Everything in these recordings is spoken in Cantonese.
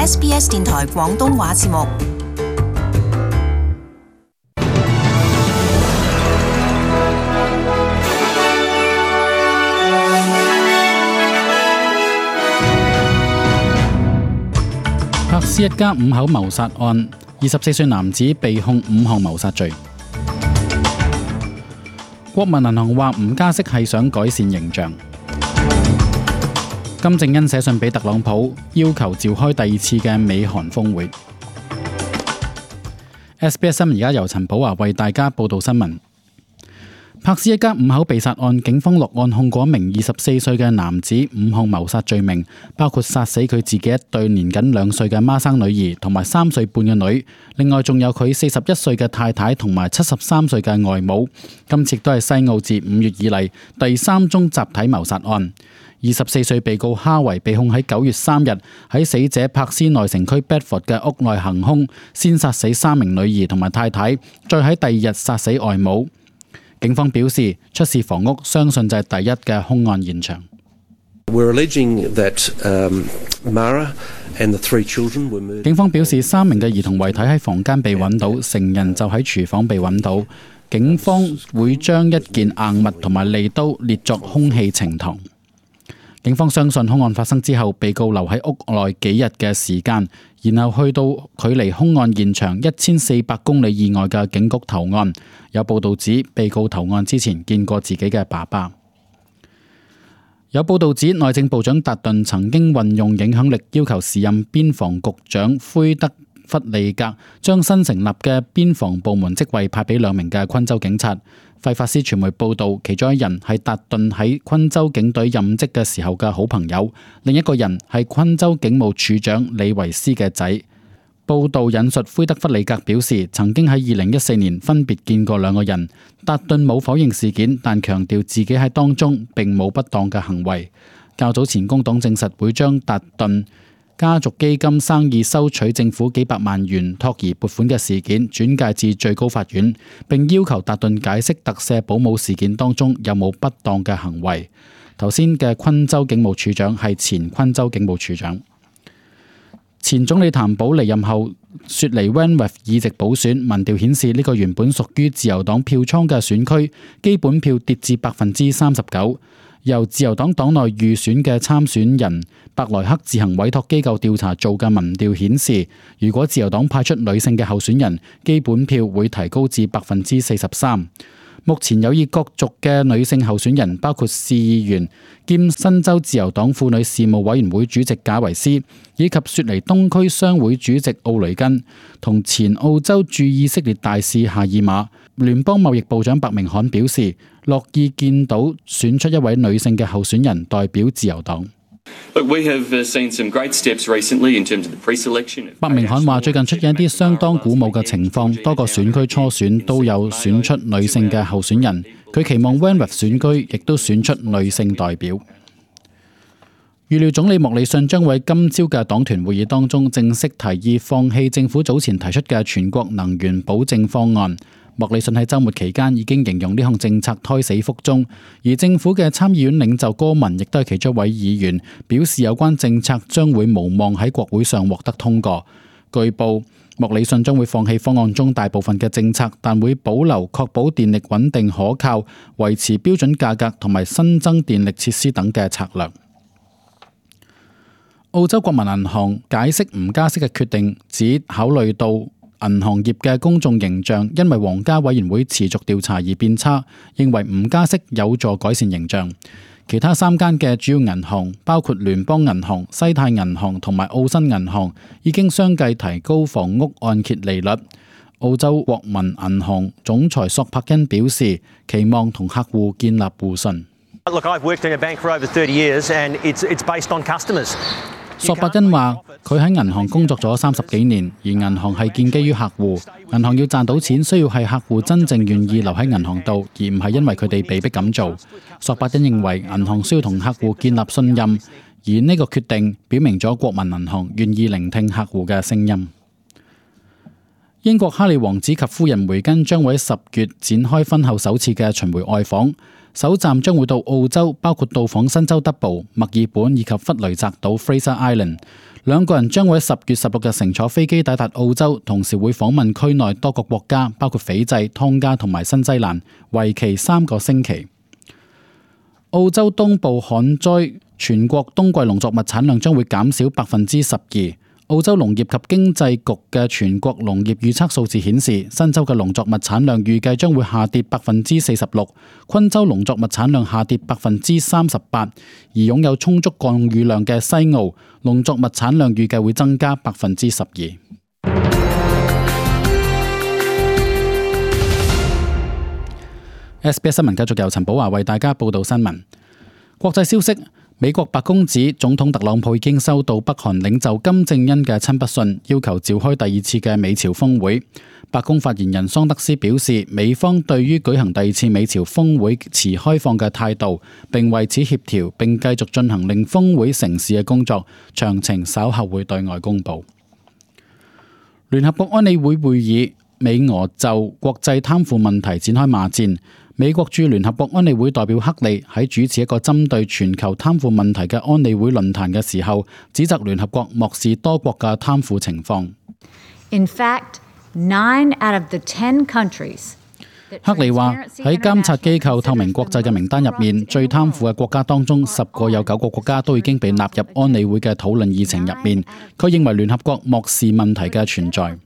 SBS 電台廣東話節目。柏斯一家5口謀殺案，24歲男子被控5項謀殺罪。國民銀行話唔加息係想改善形象。金正恩寫信俾特朗普，要求召開第2次嘅美韓峰會。SBS 新聞而家由陳寶華為大家報道新聞。柏斯一家5口被殺案，警方落案控過一名24歲嘅男子5項謀殺罪名，包括殺死佢自己一對年僅2歲嘅孖生女兒同埋3歲半嘅女，另外仲有佢41歲嘅太太同埋73歲嘅外母。今次都係西澳自5月以嚟第3宗集體謀殺案。24歲被告哈維被控喺9月3日喺死者柏斯內城區 Bedford 嘅屋內行兇，先殺死3名女兒同埋太太，再喺第2日殺死外母。警方表示，出事房屋相信就係第一嘅兇案現場。警方表示，3名嘅兒童遺體喺房間被揾到，成人就喺廚房被揾到。警方會將一件硬物同埋利刀列作兇器呈堂。警方相信兇案發生之後，被告留喺屋內幾日嘅時間，然後去到距離兇案現場1400公里以外嘅警局投案。有報道指，被告投案之前見過自己嘅爸爸。有報道指，內政部長達頓曾經運用影響力，要求時任邊防局長灰德弗利格將新成立嘅邊防部門職位派俾2名嘅昆州警察。費法斯傳媒報道，其中一人係達頓喺昆州警隊任職嘅時候嘅好朋友，另一個人係昆州警務處長李維斯嘅仔。報道引述灰德弗里格表示，曾經喺2014年分別見過2個人。達頓冇否認事件，但強調自己喺當中並冇不當嘅行為。較早前工黨證實會將達頓家族基金生意收取政府幾百萬元托兒撥款嘅事件轉介至最高法院，並要求達頓解釋特赦保姆事件當中有冇不當嘅行為。頭先嘅昆州警務處長係前昆州警務處長。前總理譚寶離任後，雪梨 Wentworth 議席補選民調顯示，呢個原本屬於自由黨票倉嘅選區，基本票跌至 39%。由自由黨黨內預選嘅參選人伯萊克自行委託機構調查做嘅民調顯示，如果自由黨派出女性嘅候選人，基本票會提高至 43%。目前有意角逐嘅女性候選人包括市議員兼新州自由黨婦女事務委員會主席賈維斯，以及雪梨東區商會主席奧雷根，同前澳洲駐以色列大使夏爾馬。聯邦貿易部長白明翰表示，樂意見到選出一位女性嘅候選人代表自由黨。白明翰話，最近出現一啲相當鼓舞嘅情況，多個選區初選都有選出女性嘅候選人。佢期望 Wentworth 選區亦都選出女性代表。預料總理莫里遜將會喺今朝嘅黨團會議當中正式提議放棄政府早前提出嘅全國能源保證方案。莫里遜喺週末期間已經形容呢項政策胎死腹中，而政府嘅參議院領袖戈文亦都係其中一位議員，表示有關政策將會無望喺國會上獲得通過。據報，莫里遜將會放棄方案中大部分嘅政策，但會保留確保電力穩定可靠、維持標準價格同埋新增電力設施等嘅策略。澳洲國民銀行解釋唔加息嘅決定，只考慮到銀行業嘅公眾形象因為皇家委員會持續調查而變差，認為唔加息有助改善形象。其他3間嘅主要銀行，包括聯邦銀行、西太銀行同埋澳新銀行，已經相繼提高房屋按揭利率。澳洲國民銀行總裁索柏恩表示，期望同客戶建立互信。索伯恩話：佢喺銀行工作咗30幾年，而銀行係建基於客戶。銀行要賺到錢，需要係客戶真正願意留喺銀行度，而唔係因為佢哋被逼咁做。索伯恩認為銀行需要同客戶建立信任，而呢個決定表明咗國民銀行願意聆聽客戶嘅聲音。英國哈利王子及夫人梅根將會喺10月展開婚後首次嘅巡迴外訪。首站將會到澳洲，包括到訪新州德堡、墨爾本以及弗雷澤島 （Fraser Island）。兩個人將會喺10月16日乘坐飛機抵達澳洲，同時會訪問區內多個國家，包括斐濟、湯加同埋新西蘭，為期3個星期。澳洲東部旱災，全國冬季農作物產量將會減少12%。澳洲農業及經濟局嘅全國農業預測數字顯示，新州嘅農作物產量預計將會下跌46%，昆州農作物產量下跌38%，而擁有充足降雨量嘅西澳農作物產量預計會增加12%。SBS 新聞繼續由陳寶華為大家報道新聞。國際消息。美國白宮指總統特朗普已經收到北韓領袖金正恩嘅親筆信，要求召開第2次嘅美朝峰會。白宮發言人桑德斯表示，美方對於舉行第2次美朝峰會持開放嘅態度，並為此協調，並繼續進行令峰會成事嘅工作，詳情稍後會對外公佈。聯合國安理會會議，美俄就國際貪腐問題展開罵戰。美國駐聯合國安理會代表克利喺主持一個針對全球貪腐問題嘅安理會論壇嘅時候，指責聯合國漠視多國嘅貪腐情況。In fact, 9 out of the 10 countries克利話喺監察機構透明國際嘅名單入面，最貪腐嘅國家當中10個有9個國家都已經被納入安理會嘅討論議程入面。佢認為聯合國漠視問題嘅存在。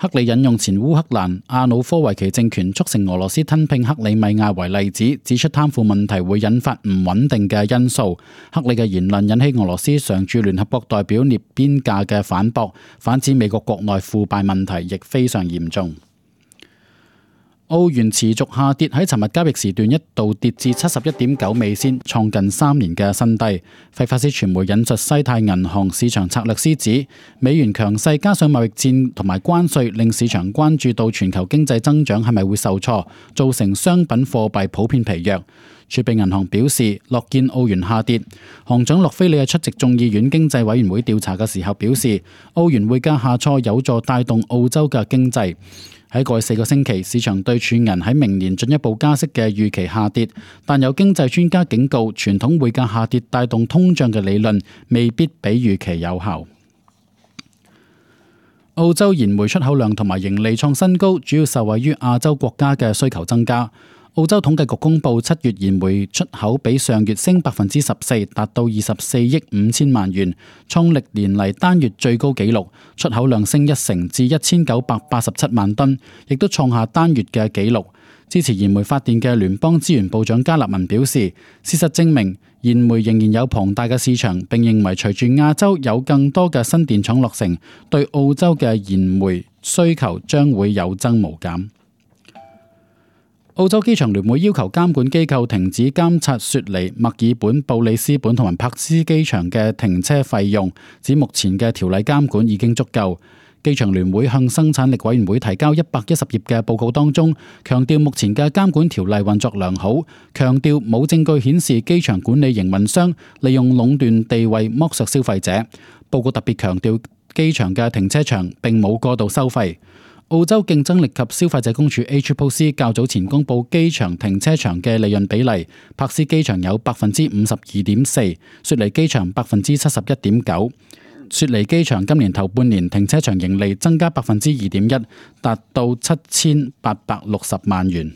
克里引用前烏克蘭亞努科維奇政權促成俄羅斯吞併克里米亞為例子，指出貪腐問題會引發唔穩定嘅因素。克里嘅言論引起俄羅斯常駐聯合國代表涅邊價嘅反駁，反指美國國內腐敗問題亦非常嚴重。澳元持續下跌，喺尋日交易時段一度跌至71.9美仙，創近3年嘅新低。費法斯傳媒引述西太銀行市場策略師指，美元強勢加上貿易戰同埋關稅，令市場關注到全球經濟增長係咪會受挫，造成商品貨幣普遍疲弱。儲備銀行表示樂見澳元下跌。行長洛菲利喺出席眾議院經濟委員會調查嘅時候表示，澳元匯價下挫有助帶動澳洲嘅經濟。喺過去4個星期，市場對儲銀喺明年進一步加息嘅預期下跌，但有經濟專家警告，傳統匯價下跌帶動通脹嘅理論未必比預期有效。澳洲燃煤出口量同埋盈利創新高，主要受惠於亞洲國家嘅需求增加。澳洲統計局公布7月燃煤出口比上月升14%，達到24億5千萬元，創歷年嚟單月最高紀錄。出口量升1成至1987萬噸，亦都創下單月嘅紀錄。支持燃煤發電嘅聯邦資源部長加納文表示，事實證明燃煤仍然有龐大嘅市場，並認為隨住亞洲有更多嘅新電廠落成，對澳洲嘅燃煤需求將會有增無減。澳洲機場聯會要求監管機構停止監察雪梨、墨爾本、布里斯本同埋珀斯機場嘅停車費用，指目前嘅條例監管已經足夠。機場聯會向生產力委員會提交110頁嘅報告當中，強調目前嘅監管條例運作良好，強調冇證據顯示機場管理營運商利用壟斷地位剝削消費者。報告特別強調機場嘅停車場並冇過度收費。澳洲競爭力及消費者公署 ACCC 較早前公布機場停車場嘅利潤比例，珀斯機場有52.4%，雪梨機場71.9%。雪梨機場今年頭半年停車場盈利增加2.1%，達到7860萬元。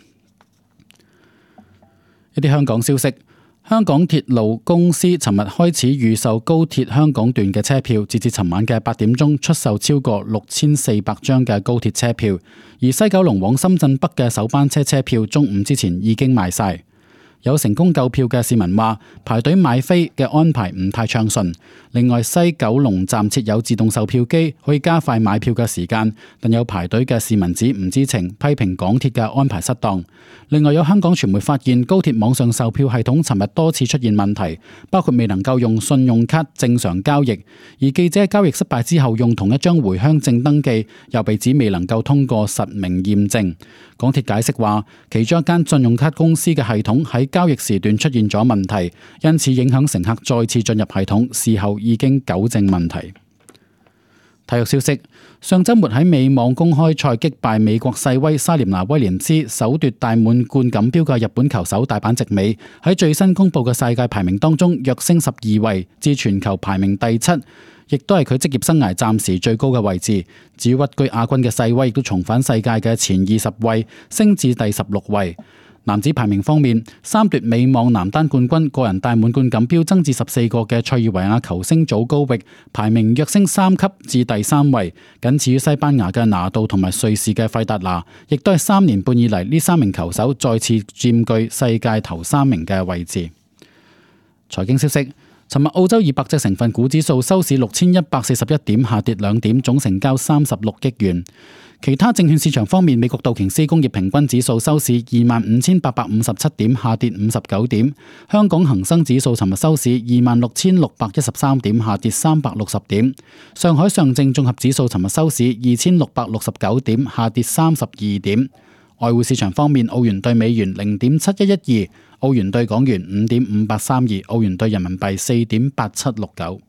一啲香港消息。香港鐵路公司尋日開始預售高鐵香港段嘅車票，截至尋晚嘅8點鐘出售超過6400張嘅高鐵車票，而西九龍往深圳北嘅首班車車票中午之前已經賣晒。有成功購票嘅市民話，排隊買飛嘅安排唔太暢順。另外，西九龍站設有自動售票機，可以加快買票嘅時間，但有排隊嘅市民指唔知情，批評港鐵嘅安排失當。另外，有香港傳媒發現高鐵網上售票系統尋日多次出現問題，包括未能夠用信用卡正常交易，而記者交易失敗之後用同一張回鄉證登記，又被指未能夠通過實名驗證。港鐵解釋話，其中一間信用卡公司嘅系統喺交易時段出現咗問題，因此影響乘客再次進入系統，事後已經糾正問題。體育消息：上週末喺美網公開賽擊敗美國世威莎蓮娜威廉斯，首奪大滿貫錦標嘅日本球手大阪直美喺最新公佈嘅世界排名當中躍升12位，至全球排名第7，亦都係佢職業生涯暫時最高嘅位置。至於屈居亞軍嘅世威亦都重返世界嘅前20位，升至第16位。男子排名方面，3奪美網男單冠軍、個人大滿貫錦標增至14個嘅塞爾維亞球星祖高域，排名躍升3級至第3位，僅次於西班牙嘅拿度同埋瑞士嘅費達拿，亦都係3年半以嚟呢3名球手再次佔據世界頭3名嘅位置。財經消息。尋日澳洲200隻成分股指數收市6141點，下跌2點，總成交36億元。其他證券市場方面，美國道瓊斯工業平均指數收市25,857點，下跌59點。香港恒生指數尋日收市26,613點，下跌360點。上海上證綜合指數尋日收市2,669點，下跌32點。外匯市場方面，澳元兌美元0.7112，澳元兌港元5.5832，澳元兌人民幣4.8769。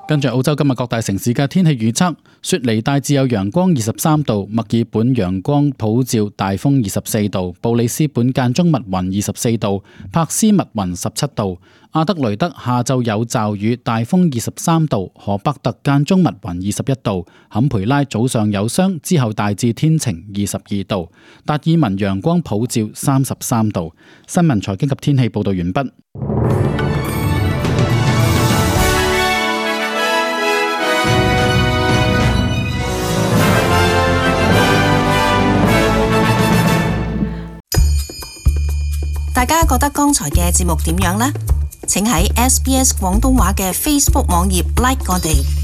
跟住澳洲今日各大城市嘅天氣預測：雪梨大致有陽光23度，墨爾本陽光普照大風24度，布里斯本間中密雲24度，柏斯密雲17度，阿德雷德下晝有驟雨大風23度，荷伯特間中密雲21度，坎培拉早上有霜，之後大致天晴22度，達爾文陽光普照33度。新聞財經及天氣報道完畢。大家覺得剛才嘅節目點樣呢？請喺SBS 廣東話嘅 Facebook 網頁 like 我哋。